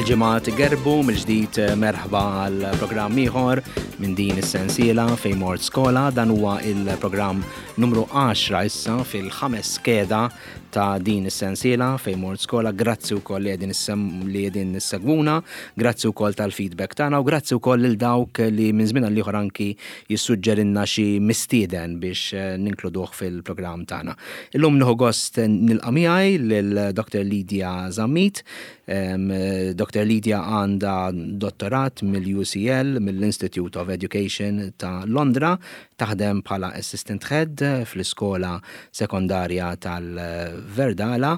Il-ġimgħat gerbu mill-ġdid eh, merħba għal programm ieħor minn din is-sensiela fejn mort skola dan huwa il-programm numru 10 issa fil-ħames skeda ta' din is-sensiela fejn mort skola. Grazzi wkoll li qegħdin li qegħdin nissegwuna, grazzi wkoll tal-feedback tagħna u grazzi wkoll lil dawk li minn żmien għal ieħor anki jissuġġerinna xi mistieden biex eh, ninkluduh fil-programm tagħna. Illum nieħu gost nilqa' miegħi lil Dr. Lydia Zammit. Dr. Lydia għandha dottorat mill-UCL, mill-Institute of Education ta' Londra, Taħdem bħala Assistant Head fl-iskola sekondarja tal-Verdala.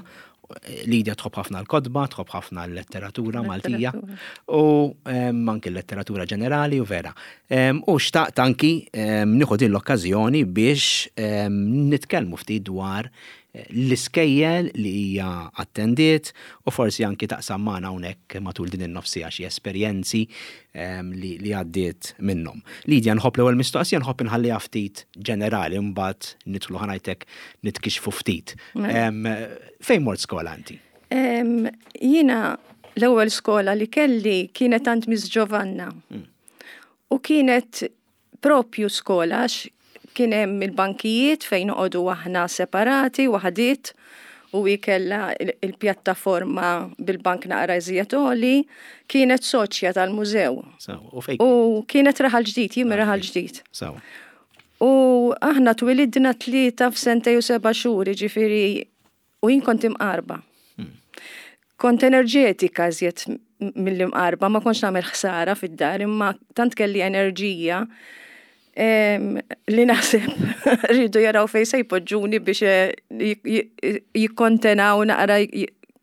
Lidia tħobb ħafna l-kotba, tħobb ħafna l-letteratura Maltija u anki l-letteratura ġenerali u vera. U xtaqt anki nieħu din l-okkażjoni biex nitkellmu ftit dwar l-iskejjel li hija attendiet u forsi anki taqsam magħna hawnhekk matul din in-nofs siegħa xi esperjenzi li, li għaddiet minnhom. Lidia, nħobb l-ewwel mistoqsija nħobb inħalliha ftit ġenerali mbagħad nidħlu ħa ngħidlek nitkixxfu ftit. Mela. Fejn mort skola inti? Jiena l-ewwel skola li kelli kienet għand Miss Giovanna. Hmm. U kienet Propju skola għax kien hemm il-bankijiet fejn noqogħdu aħna separati waħdiet u hi kellha il-pjattaforma bil-bank naqra iżjed għoli, kienet soċja tal-mużew. U kienet Raħal Ġdid, jien minn Raħal Ġdid. U aħna twilidna tlieta f'sentej u seba' xhur, jiġifieri U jien kont imqarba. Kont enerġetika iżjed mill-imqarba, ma kontx nagħmel ħsara fid-dar, imma tant kelli enerġija li naħseb rridu jaraw fejn se jpoġġuni biex eh, jikkontenaw naqra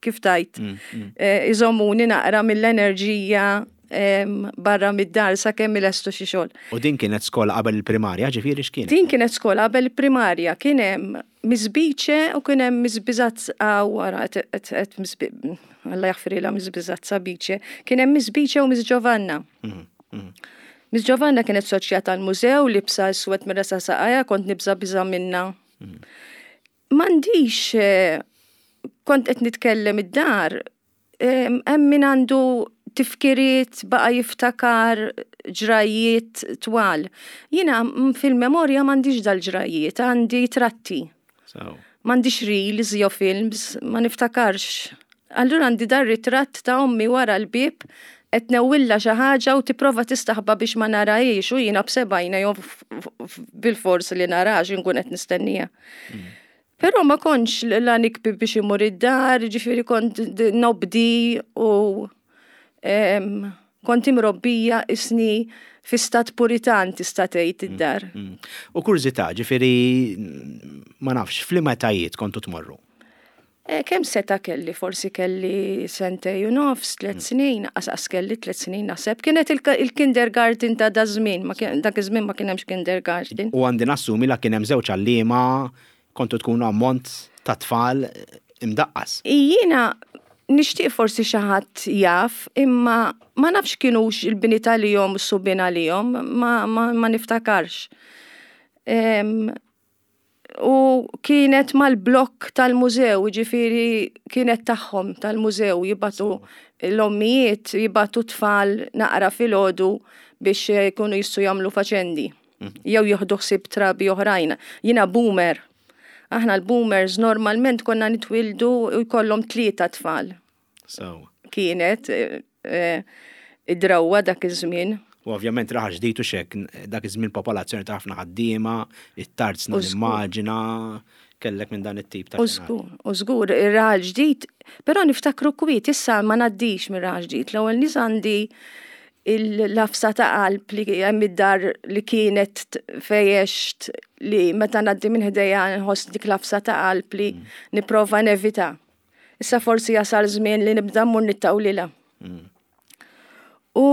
kif tajt. Mm, mm. Eh, iżommuni naqra mill-enerġija barra mid-dar sakemm ilestu xi xogħol. U din kienet skola qabel il-primarja, ġifieri x'kienet? Din kienet skola qabel il-primarja, kien hemm Miss Bice u kien hemm Miss Bizazza wara qed Miss Alla jaħfrilha Miss Bizazza Bice, kien hemm Miss Bice u Miss Giovanna. Mhm, mhm. Miss Giovanna kienet soċja tal-mużew libsa iswed minn rasa saqajha, kont nibża' biża' minnha. Mhm. M'għandix eh, kont qed nitkellem id-dar, Hemm min għandu tifkiriet baqa' jiftakar ġrajjiet twal. Jiena fil-memorja m'għandix dal-ġrajjiet, għandi tratti. M'għandix reels jew films, ma niftakarx. Allura għandi dar ritratt ta' ommi wara l-bieb qed newwilla xi ħaġa u tipprova tistaħba biex ma narahiex u jiena b'sebgħajna jew bil-fors li narax inkun qed nistennija. Mm. Però ma kontx la nikbi biex imur id-dar, ġifieri kont nobdi u kont imrobbija isni fi stat puritan tista' tgħid mm, id-dar. Mm. U kurżità, ġifieri ma nafx, f'liema etajiet kontu tmorru? Eh, kemm seta kelli, forsi kelli sentej u nofs, tlet mm. snin, qasqas kelli tlet snin naħseb. Kienet il-kindergarten ta' da żmien, dak iż-żmien ma kien hemmx kindergarten. U għandi nassumi la kien hemm żewġ għalliema kontu tkunu ammont ta' tfal imdaqqas. Jiena nixtieq forsi xi ħadd jaf, imma ma nafx kinux il-bniet għalihom u s-subien għalihom, ma, ma, ma niftakarx. U kienet mal-blokk tal-mużew, ġifiri kienet tagħhom tal-mużew jibatu l-ommijiet jibatu tfal naqra filgħodu biex jkunu jistgħu jagħmlu faċendi. Mhm. Jew jieħdu ħsieb trabi oħrajn. Jiena boomer. Aħna l-boomers normalment konna nitwildu u jkollhom tlieta tfal. So. Kienet eh, eh, id-drawwa dak iż-żmien. U ovvjament raħal ġdid u xek, dak iż-żmien popolazzjoni ta' ħafna ħaddiema, it-tarzna l-immaġina, kellek minn dan it-tip ta' Użgur, użgur, ir-raħal ġdid, però niftakru kwiet, issa ma ngħaddix mir raħal ġdid. L-ewwel nies għandi il-lafsa ta' qalb li hemm id-dar li kienet fejext li meta ngħaddi minn ħdejja nħoss dik lafsa ta' qalb li mm. nipprova nevita. Issa forsi jasal żmien li nibda mmur nittawlilha. Mm. U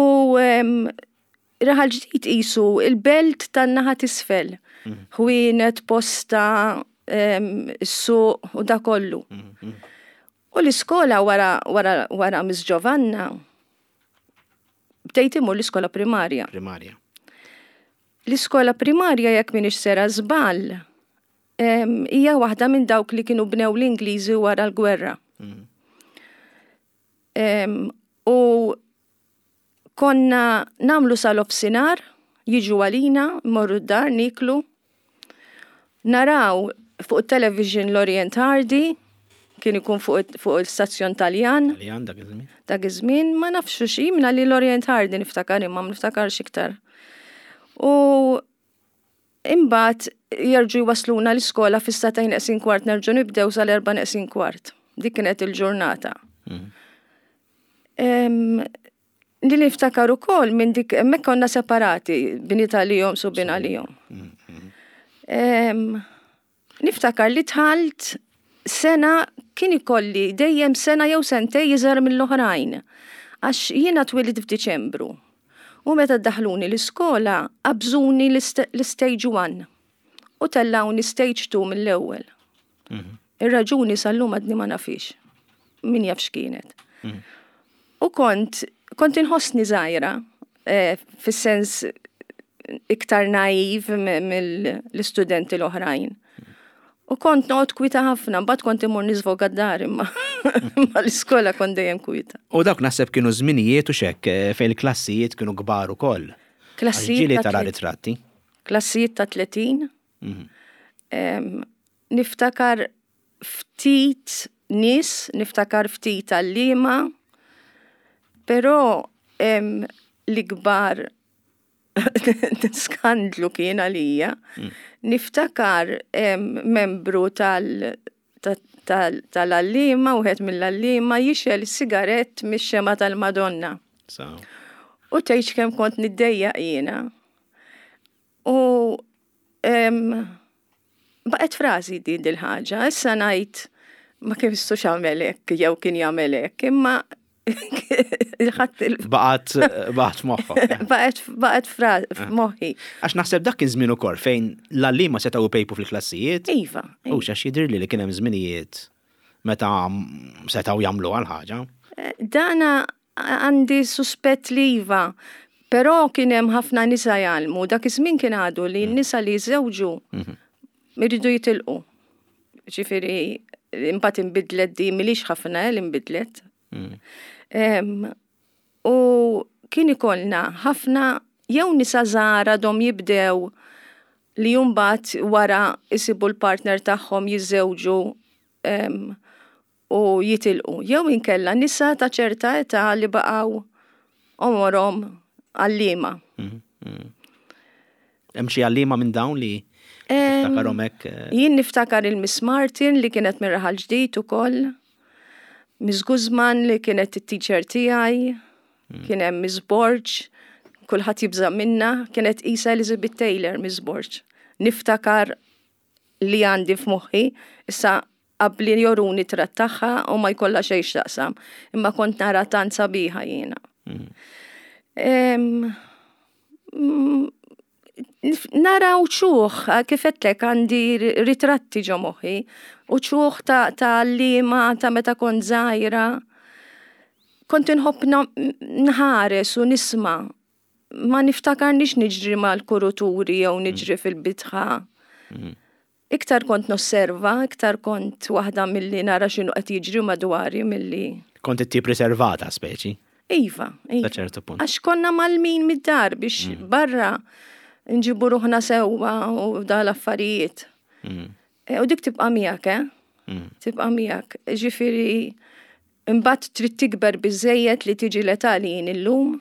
raħal ġdid qisu il-belt tan-naħa t'isfel. Mm. Ħwienet, posta, is-suq u da kollu. Mm, u l-iskola wara wara wara Miss Giovanna bdejt imur l-iskola primarja. Primarja. L-iskola primarja jekk minix sera żball hija waħda minn dawk li kienu bnew l-Ingliżi wara l-gwerra. Mm. U konna nagħmlu sa nofsinhar, jiġu għalina, morru d-dar, niklu. Naraw fuq television Laurel and Hardy, kien ikun fuq il-stazzjon Taljan. Taljan dak iż-żmien. Dak iż-żmien ma nafx xi minna li Laurel and Hardy niftakar imma ma niftakarx iktar. U imbagħad jerġgħu jwasluna l-iskola fis-sagħtejn neqsin kwart nerġgħu nibdew sal-4 neqsin kwart. Dik kienet il-ġurnata. Li niftakar ukoll minn dik hemmhekk konna separati bniet għalihom subien għalihom. Niftakar li dħalt sena kien ikolli dejjem sena jew sentej iżgħar mill-oħrajn. Għax jiena twilidt f'Diċembru. U meta daħluni l-iskola qabżuni l-stage 1 u tellawni stage 2 mill-ewwel. Ir-raġuni sal-lum għadni ma nafix. Min jaf x'kienet. U kont inħossni żgħira, fis-sens iktar naiv mill-istudenti l-oħrajn. U kont noqgħod kwita ħafna, mbagħad kont imur niżvoga d-dar imma ma l-iskola kont dejjem kwita. U dawk naħseb kienu żminijiet u xek fejn il-klassijiet kienu kbar ukoll. Klassijiet Ġieli ta' tara ritratti. Klassijiet ta' 30. Niftakar ftit nies, niftakar ftit għalliema, però l-ikbar skandlu kien għalija. Niftakar membru tal-għalliema, wieħed mill-għalliema jixgħel sigarett mix-xemgħa tal-Madonna. U tgħidx kemm kont niddejjaq jiena. U baqgħet frażi din dil-ħaġa, issa ngħid ma kien jistux jagħmel hekk jew kien jagħmel hekk, imma Baqgħet baqgħet f'moħħok. Baqgħet f'moħħi. Għax naħseb dak kien żmien ukoll fejn l-għalliema setgħu jpejpu fil-klassijiet. Iva. U x'għax jidhirli li kien hemm żminijiet meta setgħu jagħmlu għal ħaġa. Dana għandi suspett li iva, però kien hemm ħafna nisa jgħallmu. Dak iż-żmien kien għadu li n-nisa li jiżżewġu iridu jitilqu. Ġifieri imbagħad inbidlet di milix ħafna li nbidlet. U kien ikollna ħafna jew nisa żgħar għadhom jibdew li mbagħad wara isibu l-partner tagħhom jiżżewġu u jitilqu. Jew inkella nisa ta' ċerta età li baqgħu għomorhom għalliema. Hemm xi għalliema minn dawn li tiftakarhom hekk? Jien niftakar il-Miss Martin li kienet minn Raħal Ġdid ukoll. Miss Guzman li kienet it-teacher tiegħi, kien hemm Miss Borg, kulħadd jibża' minna, kienet isa Elizabeth Taylor Miss Borg. Niftakar li għandi f'moħħi, issa qabli joruni tratt tagħha u ma jkollha xejn x'taqsam, imma kont nara tant sabiħa jiena. Nara uċuħ, kif għedtlek għandi ritratti ġo moħħi, uċuħ ta' għalliema ta' meta kont żgħira. Kont inħobb nħares u nisma'. Ma niftakarnix niġri mal-kuruturi jew niġri fil-bitħa. Iktar kont nosserva, iktar kont waħda milli nara x'inhu qed jiġri madwari milli. Kont it-tip riservata speċi. Iva, iva. Ta' ċertu punt. Għax konna malmin mid-dar biex barra nġibu ruħna sewwa u da l-affarijiet. U dik tibqa' miegħek, eh? Tibqa' miegħek. Ġifieri imbagħad trid tikber biżejjed li tiġi l-età li jien illum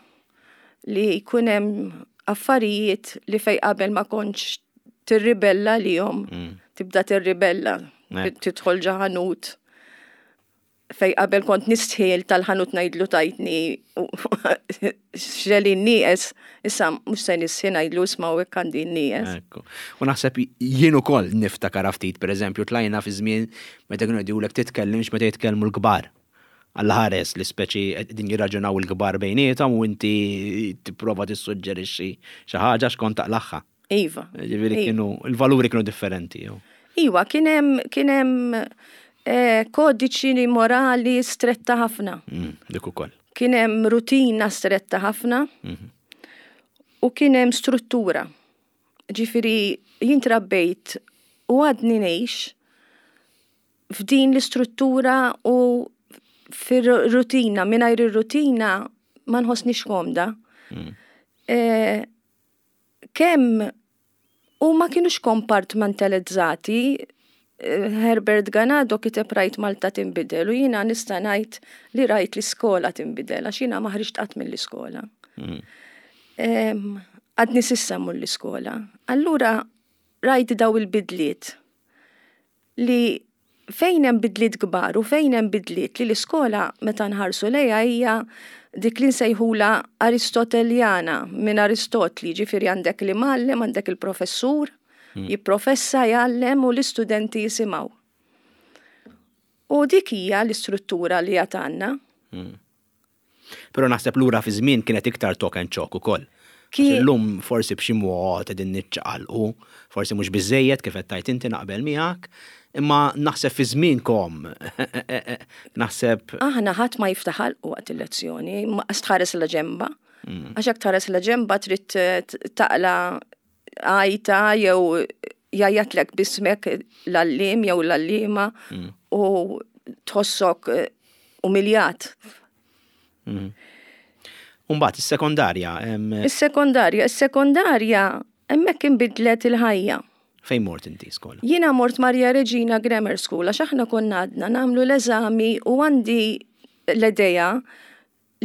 li jkun hemm affarijiet li fej qabel ma kontx tirribella lihom, tibda tirribella, tidħol ġo ħanut fej qabel kont nistħiel tal-ħanut ngħidlu tajtni xelin nieqes, issa mhux se nistħi ngħidlu isma' u hekk għandi nieqes. Ekku. U naħseb jien ukoll niftakar ftit, pereżempju, tlajna fi żmien meta kienu jgħidulek titkellimx meta jitkellmu l-kbar. Alla ħares li speċi din jirraġunaw il-kbar bejniethom u inti tipprova tissuġġerixxi xi ħaġa x'kont taqlagħha. Iva. Ġifieri kienu il-valuri kienu differenti. Jew. Iva, kien hemm kien hemm kodiċi morali stretta ħafna. Dik ukoll. Kien hemm rutina stretta ħafna u kien hemm struttura. Ġifieri jien trabbejt u għadni ngħix f'din l-istruttura u fir-rutina, mingħajr ir-rutina ma nħossnix komda. Kemm u ma kienux kompartmentalizzati, Herbert Ganado kiteb "Rajt Malta tinbidel" u jiena nista' ngħid li rajt l-iskola tinbidel għax jiena ma ħriġt qatt mill-iskola. Għadni s'issa mmur l-iskola. Allura rajt daw il-bidliet li fejn hemm bidliet kbar u fejn hemm bidliet li l-iskola meta nħarsu lejha hija dik li nsejħula Aristoteljana minn Aristotli, ġifieri għandek l-imgħallem, għandek il-professur, jipprofessa, jgħallem u l-istudenti jisimgħu. U dik hija l-istruttura li għad għandna. Però naħseb lura fi żmien kienet iktar talk and chalk ukoll. Illum forsi b'xi mod qegħdin niċċaqalqu, forsi mhux biżejjed kif qed tgħid inti, naqbel miegħek, imma naħseb fi żmienkom naħseb Aħna ħadd ma jiftaħ ħalqu waqt il-lezzjoni, ma tħares la ġemba. Għax jekk tħares la ġemba trid taqla għajta jew jgħajjatlek b'ismek l-għalliem jew l-għalliema u tħossok umiljat. Umbagħad is-sekondarja. Is-sekondarja, hemmhekk inbidlet il-ħajja. Fejn mort inti skola? Jiena mort Maria Regina Grammar School għax aħna konna għadna nagħmlu l-eżami u għandi l-idea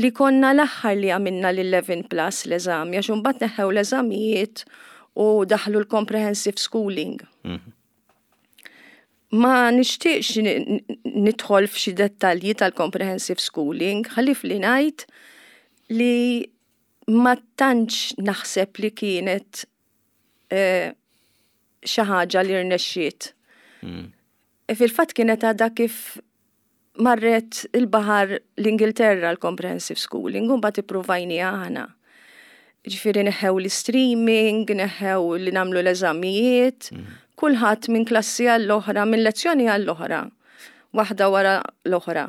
li konna l-aħħar li għamilna l-11 plus l-eżami, għax imbagħad neħħew l-eżamijiet u daħlu l-comprehensive schooling. Ma nixtieqx nidħol f'xi dettalji tal-comprehensive schooling, ħalif li ngħid li ma tantx naħseb li kienet xi ħaġa li rnexxiet. Fil-fatt kienet għadha kif marret il-baħar l-Ingilterra l-comprehensive schooling, u mbagħad ippruvajni aħna. Ġifieri neħew l-streaming, neħew li nagħmlu l-eżamijiet, kulħadd minn klassi għall-oħra, minn lezzjoni għall-oħra, waħda wara l-oħra.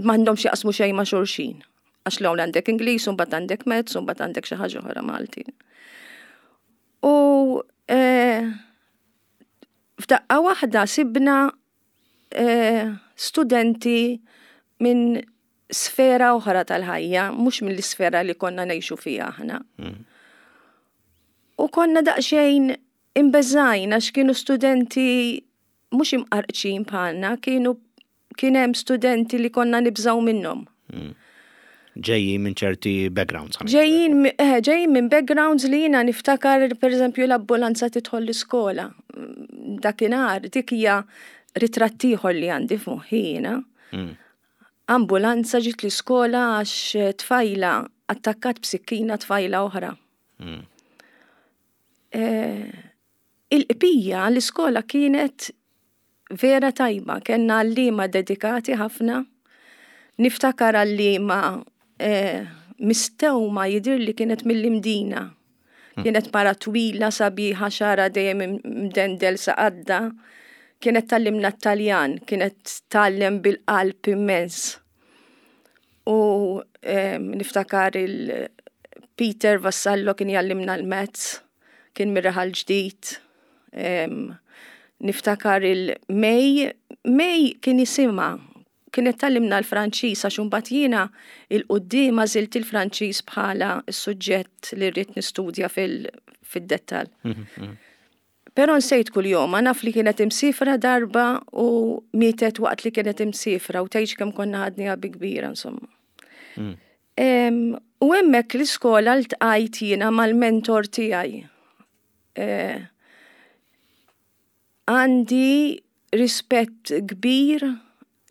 M'għandhomx jaqsmu xejn ma' xulxin. Għax l għandek Ingliż, u mbagħad għandek Maths, u mbagħad għandek xi ħaġa oħra Malti. U f'daqqa waħda sibna studenti minn sfera oħra tal-ħajja, mhux mill-isfera li konna ngħixu fiha aħna. U konna daqsxejn imbeżgħin għax kienu studenti mhux imqarqċin bħalna, kienu kien hemm studenti li konna nibżaw minnhom. Ġejjin minn ċerti backgrounds. Ġejjin minn backgrounds li jiena niftakar, per eżempju, l-ambulanza tidħol l-iskola. Dakinhar, dik hija ritratt ieħor li għandi f'moħħi jiena. Ambulanza ġiet l-iskola għax tfajla attakkat b'sikkina tfajla oħra. Il-qbija l-iskola kienet vera tajba, kellna għalliema dedikati ħafna. Niftakar għalliema mistewma jidir li kienet mill-Imdina. Kienet mara twila, sabiħa, xagħarha dejjem mdendel sa għadda. Kienet tgħallimna t-Taljan, kienet tgħallem bil-qalb immens. U niftakar il-Peter Vassallo kien jgħallimna l-Maths, kien mir-Raħal Ġdid. Niftakar il-May, May kien jisimha, kienet tgħallimna l-Franċiż għax imbagħad jiena 'l quddiem għażilt il-Franċiż bħala s-suġġett li rrid nistudja fil-dettall. Però nsejt kull jom, naf li kienet imsifra darba u mietet waqt li kienet imsifra u tgħidx kemm konna ħadniha bi kbira, insomma. U hemmhekk l-iskola ltqajt jiena mal-mentor tiegħi. Għandi rispett kbir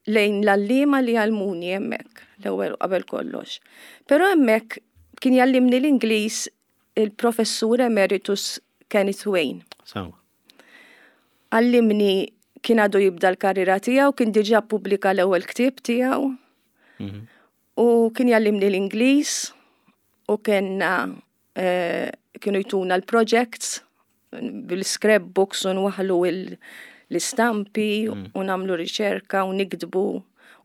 lejn l-għalliema li għallmuni hemmhekk, l-ewwel qabel kollox. Però hemmhekk kien jgħallimni l-Ingliż il-professur emeritus Kenneth Wayne. Għallimni, kien għadu jibda l-karriera tiegħu, kien diġà pubblika l-ewwel ktieb tiegħu. U kien jgħallimni l-Ingliż u kellna kienu jtuna l-projects bil-scrapbooks u nwaħlu l-istampi u nagħmlu riċerka u niktbu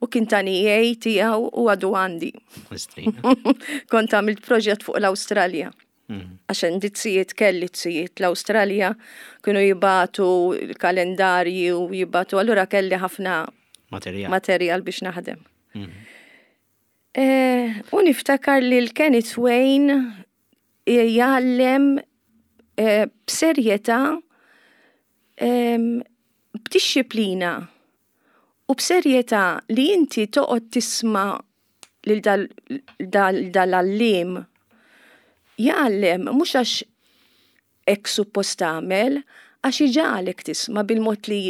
u kien tani A tiegħu u għadu għandi. Kont għamilt proġett fuq l-Awstralja. Għax għandi zijiet, kelli zijiet l-Awstralja, kienu jibagħtu l-kalendarji u jibagħtu, allura kelli ħafna. materjal, materjal biex naħdem. Eh, u niftakar li l-Kenneth Wayne jgħallem eh, b'serjetà b'dixxiplina u b'serjetà li inti toqgħod tisma' lil dal-għalliem jgħallem mhux għax hekk suppost tagħmel, għax iġagħlek tisma' bil-mod li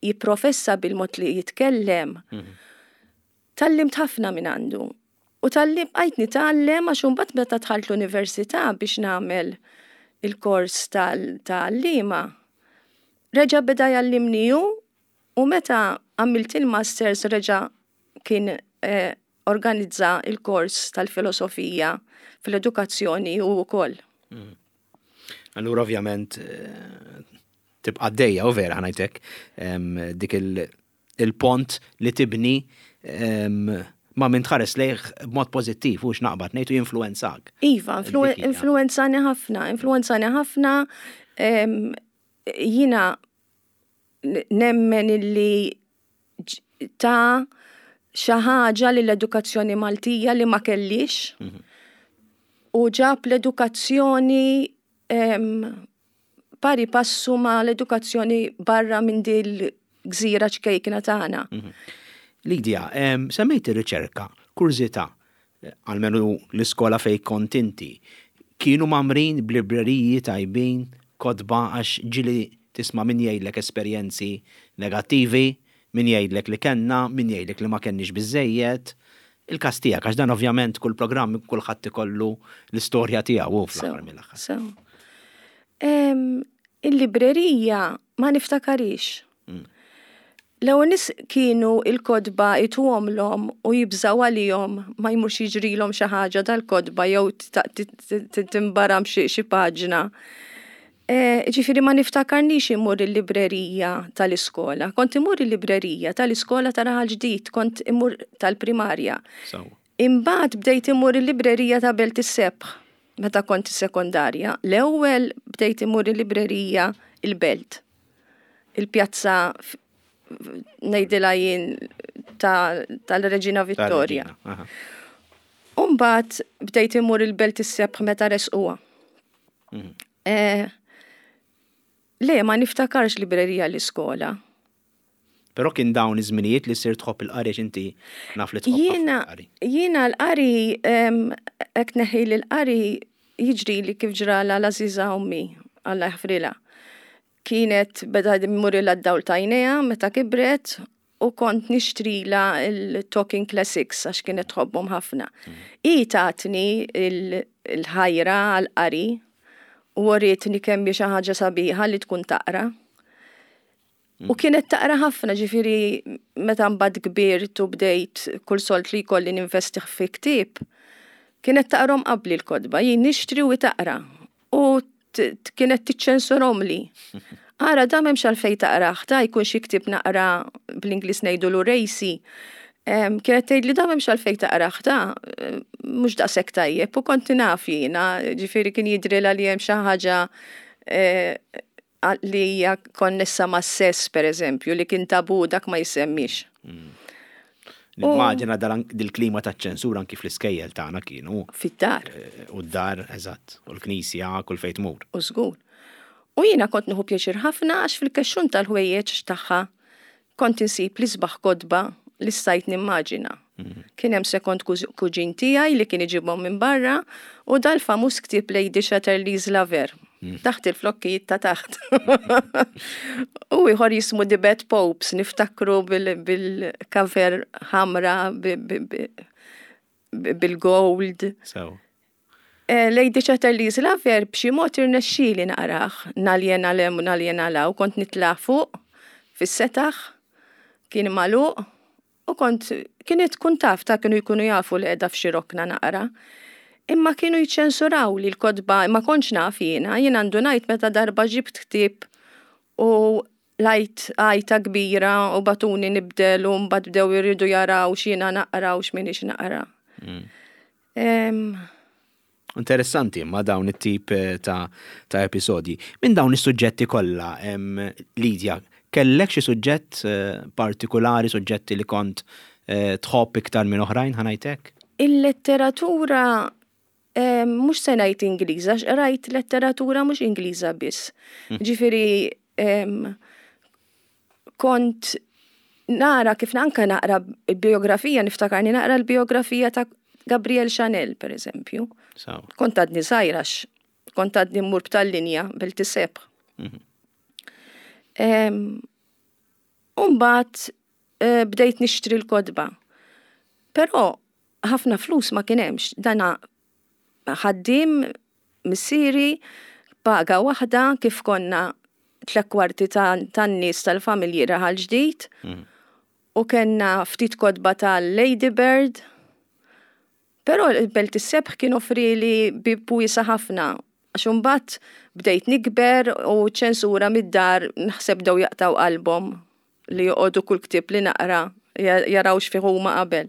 jipprofessa, bil-mod li jitkellem. Tgħallimt ħafna minn għandu. U talli bqajt nitgħallem għax imbagħad meta dħalt l-università biex nagħmel il-kors ta' għalliema, reġa' beda jgħallimni hu u meta għamilt il-masters reġa' kien eh, organizza il-kors tal-filosofija fl-edukazzjoni hu wkoll. Mm. Allura ovvjament eh, tibqa' dejja u vera ħanajtek dik il-pont li tibni ma' min tħares lejh b'mod pożittiv u x'naqbad ngħid u jinfluwenzak. Iva, influwenzani ħafna, influwenzani ħafna. Jiena nemmen illi ta' xi ħaġa li l-edukazzjoni Maltija li ma kellix mhm. u ġab l-edukazzjoni pari passu ma l-edukazzjoni barra minn dil gżira ċkejkna tagħna. Mhm. Lidia, semmejt ir-riċerka, kurżità, almenu l-iskola fej kont inti, kienu mamrin b'libreriji tajbin, kotba għax ġili tisma' min jgħidlek esperjenzi negattivi, min jgħidlek li kellna, min jgħidlek li ma kenniex biżejjed. Il-każ tiegħek, għax dan ovvjament kull programm kulħadd ikollu l-istorja tiegħu hu fl-aħħar mill-aħħar. Sew. Il-librerija ma niftakarix. Mm. L-ewwel nies kienu il-kotba ituhomlhom u jibżgħu għalihom ma jmurx jiġrilhom xi ħaġa dal-kotba jew timbaram xi paġna. Eh, ġifieri ma niftakarnix imur il-librerija tal-iskola. Kont imur il-librerija tal-iskola ta' Raħal Ġdid, kont imur tal-primarja. Imbagħad bdejt imur il-librerija ta' Belt is-Sebħ meta kont is-sekondarja. L-ewwel bdejt imur il-librerija il-Belt. Il-pjazza ngħidilha jien tal-Reġina Vittoria. Umbagħad bdejt imur il-Belt is-Sebħ meta resquha. Mhm. Eh, le, ma niftakarx librerija l-iskola. Però kien dawn iż-żminijiet li sir tħobb il-qari inti naf li tħobb il-qari. Jiena l-qari hekk neħi li l-qari jiġri li kif ġrala l-għażiża ommi Alla jaħfrilha. Kienet beda jmurilha d-dawl t'għajnejha meta kibret u kont nixtrilha l-Talking Classics għax kienet tħobbhom ħafna. Hi tatni l-ħajra għall-qari u wrietni kemm hi xi ħaġa sabiħa li tkun taqra. U kienet taqra ħafna, ġifieri meta mbagħad kbirt u bdejt kull sold li jkolli ninvestih fi ktieb, kienet taqrahom qabli l-kotba, jien nixtri u hi taqra. U kienet tiċċensurhomli. Ara da m'hemmx għalfejn taqrah, da jkun xi ktieb naqra bl-Ingliż ngħidulu racy. Kienet tgħidli da m'hemmx għalfejn taqrah, da mhux daqshekk tajjeb u kont naf jiena, ġifieri kien jidhrilha li hemm xi ħaġa eh, li hija konnessa mas-sess pereżempju li kien tabu dak ma jissemmix. Mm. Nimmaġina dil-klima ta' ċensura anki fl-iskejjel tagħna kienu. Fid-dar. Eh, u d-dar, eżatt. U l-knisja, kull fejn tmur. U żgur. U jiena kont nieħu pjaċir ħafna għax fil-kexxun tal-ħwejjeġ tagħha kont insib l-isbaħ kotba li stajt nimmaġina. Mhm. Kien hemm sekond kuġin tiegħi li kien iġibhom minn barra u dal-famuż ktieb Lady Chatterley's Lover. Mm. Taħt il-flokkijiet ta' taħt. U ieħor jismu The Bad Popes, niftakru bil-cover ħamra bil-gold. Eh, Lady Chatterley's Lover b'xi mod irnexxieli naqrah, naljena lem u naljena law, kont nitla' fuq fis-setaħ, kien magħluq, U kont, kienet tkun taf, ta' kienu jkunu jafu li qiegħda f'xi rokna naqra. Imma kienu jiċċensurawli l-kotba, ma kontx naf jiena, jiena ndunajt meta darba ġibt ktieb u lajt għajta kbira u bagħtuni nibdel u mbagħad bdew iridu jaraw x'jiena naqra u x'm'iniex naqra. Mm. Interessanti imma dawn it-tip eh, ta', ta episodji. Minn dawn is-suġġetti kollha, Lidja, Kellek xi suġġett partikulari, suġġetti li kont tħobb iktar minn oħrajn, ħa ngħid hekk? Il-letteratura mhux se ngħid Ingliża, għax qrajt letteratura mhux Ingliża biss. Ġifieri kont nara kif anka naqra biografija, niftakarni naqra l-biografija ta' Gabriel Chanel, per eżempju. Kont għadni żgħira, kont għadni mmur b'tal-linja Belt is-Sebħ. Umbagħad bdejt nixtri l-kotba. Però ħafna flus ma kien hemmx. Dana ħaddiem missieri, paga waħda kif konna tlek kwarti tan-nies tal-familji Raħal Ġdid. U kellna ftit kotba tal-Ladybird. Però il-Belt is-Sebħ kien offrili bieb wiesa' ħafna. Għax imbagħad bdejt nikber u ċ-ċensura mid-dar naħseb bdew jaqtgħu qalbhom li joqogħdu kull ktieb li naqra jaraw x'fih huma qabel.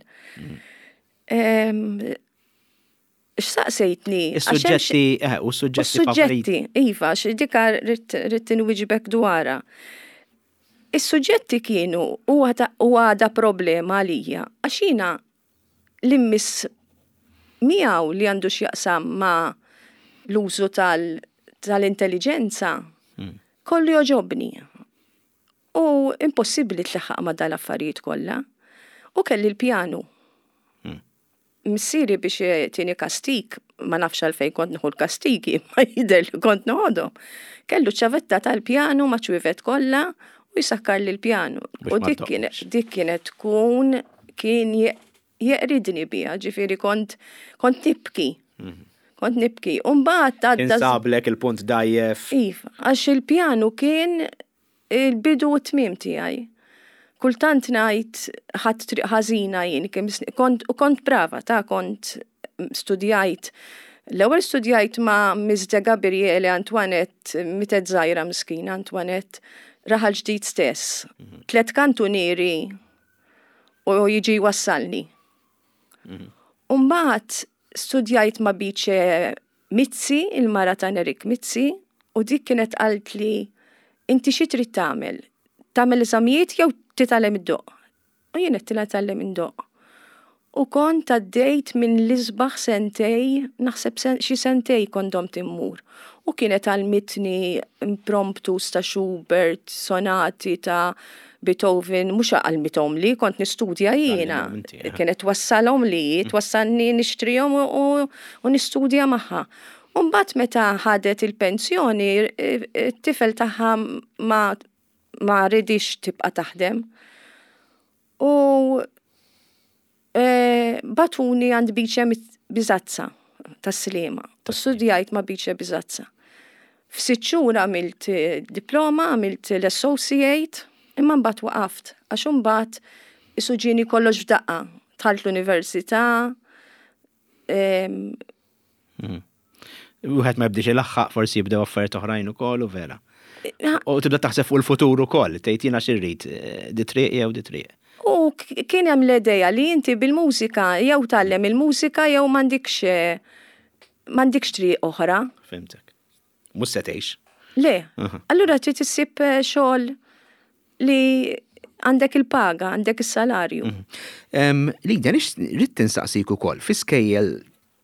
X'saqsejtni? Is-suġġetti, eh, u s-suġġetti. Suġġetti, iva, dika rrid inwiġbek dwarha. Is-suġġetti kienu u għada problema għalija, għax jiena li mmiss miegħu li għandu x'jaqsam ma' l-użu tal-intelliġenza, kollu jogħġobni. U impossibbli tlaħħaq ma' dal-affarijiet kollha. U kelli l-pjanu. Missieri biex tieni kastig, ma nafx għalfejn kont nieħu l-kastigi, ma jidher li kont noħodhom. Kellu ċavetta tal-pjanu ma' ċwievet kollha u jsakkar li l-pjanu. U dik kienet tkun kien jeqridni biha, ġifieri kont kont nibki. Kont nibki. U mbagħad għadda. Insablek il-punt dgħajjef. Iva, għax il-pjanu kien il-bidu u t-tmiem tiegħi. Kultant ngħid ħadt triq ħażina jien, kont u kont brava ta' kont studjajt. L-ewwel studjajt ma' Miss De Gabriele Antoinette, mietet żgħira miskina Antoinette, Raħal Ġdid stess. Tlet kantunieri u jiġi jwassalni. U mbagħad studjajt ma' Bice Mizzi, il-mara ta' Nerik Mizzi, u dik kienet qaltli inti xi trid tagħmel? Tagħmel eżamijiet jew titgħallem iddoqq? U jien għedtilha nitgħallem indoqq. U kont għaddejt minn l-isbaħ sentej, naħseb xi sentej kont domt immur. U kienet għallmitni impromptus ta' Schubert, sonati ta' Beethoven, mhux għallmithomli, kont nistudja jiena. Eh. Kienet twassalhom li, twassalni nixtrihom u nistudja magħha. U mbagħad meta ħadet il-pensjoni, it-tifel tagħha ma ma ridix tibqa' taħdem. U e, batuni għand Biċe Bizazza tas-Sliema. U studjajt ma' Biċe Bizazza. F'sitt xhur għamilt eh, diploma, għamilt l-associate, imma mbagħad waqaft għax imbagħad isu ġieni kollox f'daqqa. Dħalt l-università, mhm. Wieħed ma jibdiex ilaħħaq forsi jibdew affarijiet oħrajn ukoll u vera. U tibda taħseb fuq il-futur ukoll, tgħid jiena xi rrid, eh, di triq jew di triq. U kien hemm l-idea li inti bil-mużika jew tgħallem il-mużika jew m'għandikx eh, m'għandikx triq oħra. Fhimtek. Mhux se tgħix. Le. Allura trid issib eh, xogħol li għandek il-paga, għandek is-salarju. Mhm. Lidia, rrid tinsaqsik ukoll, fi skejjel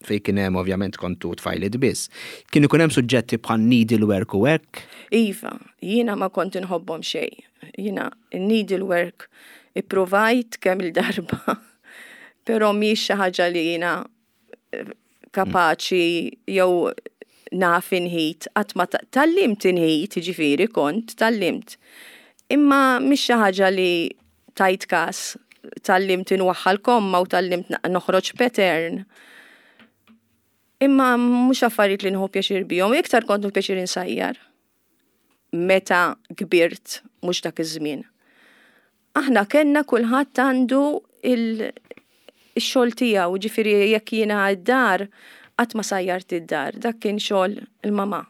fej kien hemm ovvjament kontu tfajliet biss, kien ikun hemm suġġetti bħal needlework u hekk? Iva, jiena ma kont inħobbhom xejn. Jiena needlework ippruvajt kemm il-darba, però mhix xi ħaġa li jiena eh, kapaċi jew naf inħit, qatt ma tgħallimt inħit, ġifieri kont tgħallimt. Imma mhix xi ħaġa li tajt kas, tgħallimt inwaħħal komma u tgħallimt noħroġ pattern. Imma mhux affarijiet li nieħu pjaċir bihom, iktar kont nieħu pjaċir insajjar. Meta kbirt, mhux dak iż-żmien. Aħna kellna kulħadd għandu il-xogħol tiegħu, ġifieri jekk jiena d-dar, qatt ma sajjart id-dar, dak kien xogħol il-mama.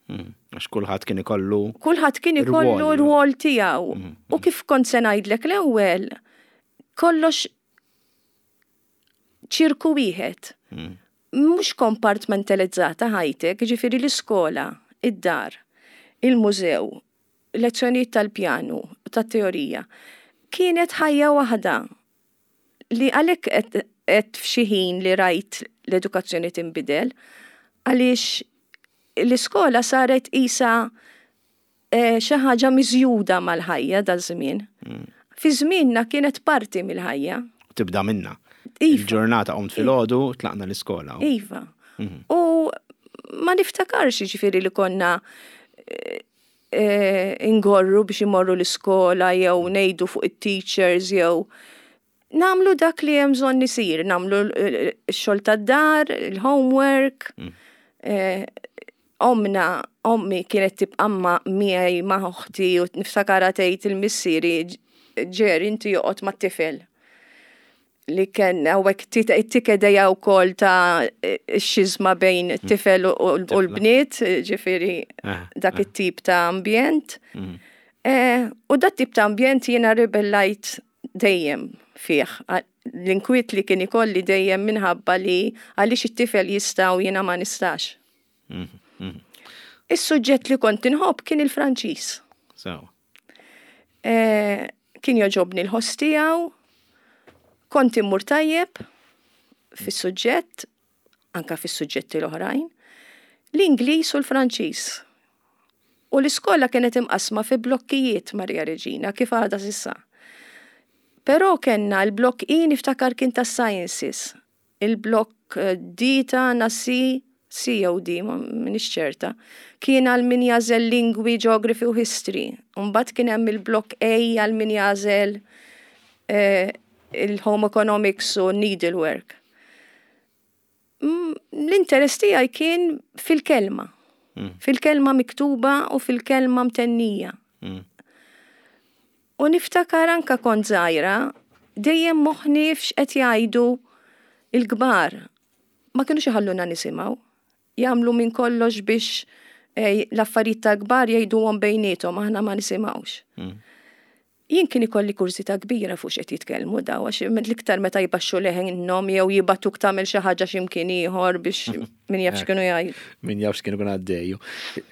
Hmm, għax kulħadd kien ikollu. Kulħadd kien ikollu r-rwol tiegħu. Hmm, U kif kont se ngħidlek l-ewwel, kollox ċirku wieħed. Mhux kompartmentalizzata ħajtek, ġifieri l-iskola, id-dar, il-mużew. lezzjonijiet tal-pjanu, tat-teorija. Kienet ħajja waħda li għalhekk qed f'xi ħin li rajt l-edukazzjoni tinbidel, għaliex l-iskola saret isa eh, xi ħaġa miżjuda mal-ħajja daż-żmien. Fi żmienna kienet parti mill-ħajja. Tibda minna. Iva. Il-ġurnata qomt filgħodu, tlaqna l-iskola. Iva. Mhm. U ma niftakarx ġifieri li konna eh, eh, ingorru biex imorru l-iskola jew ngħidu fuq it-teachers jew nagħmlu dak li hemm bżonn isir, nagħmlu x-xogħol tad-dar, il-homework. Mm. Eh, omna, ommi kienet tibqa' ma' miegħi ma' oħti u niftakara tgħid il-missieri ġer inti joqgħod mat-tifel li kien hawnhekk it-tikedeja wkoll ta' xizma bejn mm. tifel u l-bniet, ġifieri eh, dak eh. it-tip ta' ambjent. Mm. Eh, u dak tip ta' ambjent jiena ribellajt dejjem fih. L-inkwiet li kien ikolli dejjem minħabba li għaliex it-tifel jista' u jiena ma nistax. Mhm, mhm. Is-suġġett li kont inħobb kien il-Franċiż. Eh, kien joġobni l-ħoss tiegħu, kont immur tajjeb fis-suġġett, anka fis-suġġetti l-oħrajn, l-Ingliż u l-Franċiż. U l-iskola kienet imqasma fi blokkijiet Maria Reġina kif għadha s'issa. Però kellna l-blokk I niftakar kien tas-sciences, Il-blokk D tagħna C, C jew D, ma minix ċerta, kien għal min jagħżel lingwi, geography u history. Mbagħad kien hemm il-blokk A għal min jagħżel eh, il-home economics u needlework. L-interess tiegħi kien fil-kelma. Mm. Fil-kelma miktuba u fil-kelma mtennija. Mm. U niftakar anka kont żgħira, dejjem moħħni f'x'qed jgħidu l-kbar. Ma kinux iħalluna nisimgħu. Jagħmlu minn kollox biex eh, l-affarijiet tal-kbar jgħiduhom bejniethom, aħna ma nisimgħux. Mm. Jien kien ikolli kurżità kbira fuq x'qed jitkellmu daw għax l-iktar meta jbaxxu leħinhom jew jibatuk tagħmel xi ħaġa x'imkien ieħor biex Min jaf x'kienu jgħidu. Min jaf x'kienu kun għaddejju.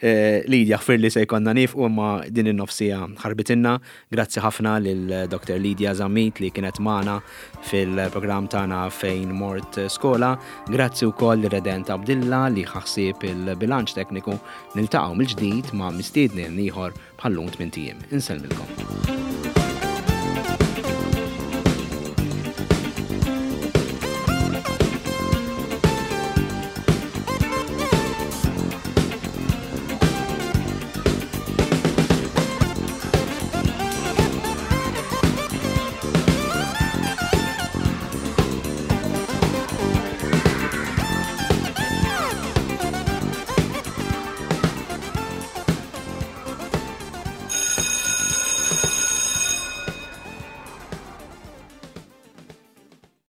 Eh, Lidja, ħfir li se jkollna nifqu imma din in-nofsija ħarbitinna. Grazzi ħafna lil Dr. Lidja Zammit li kienet magħna fil-programm tagħna fejn mort skola. Grazzi wkoll Redent Abdilla li ħaħsieb il-bilanċ tekniku. Niltaqgħu mill-ġdid ma' mistiedni ieħor bħallum tmien ijiem. Insellmilkom.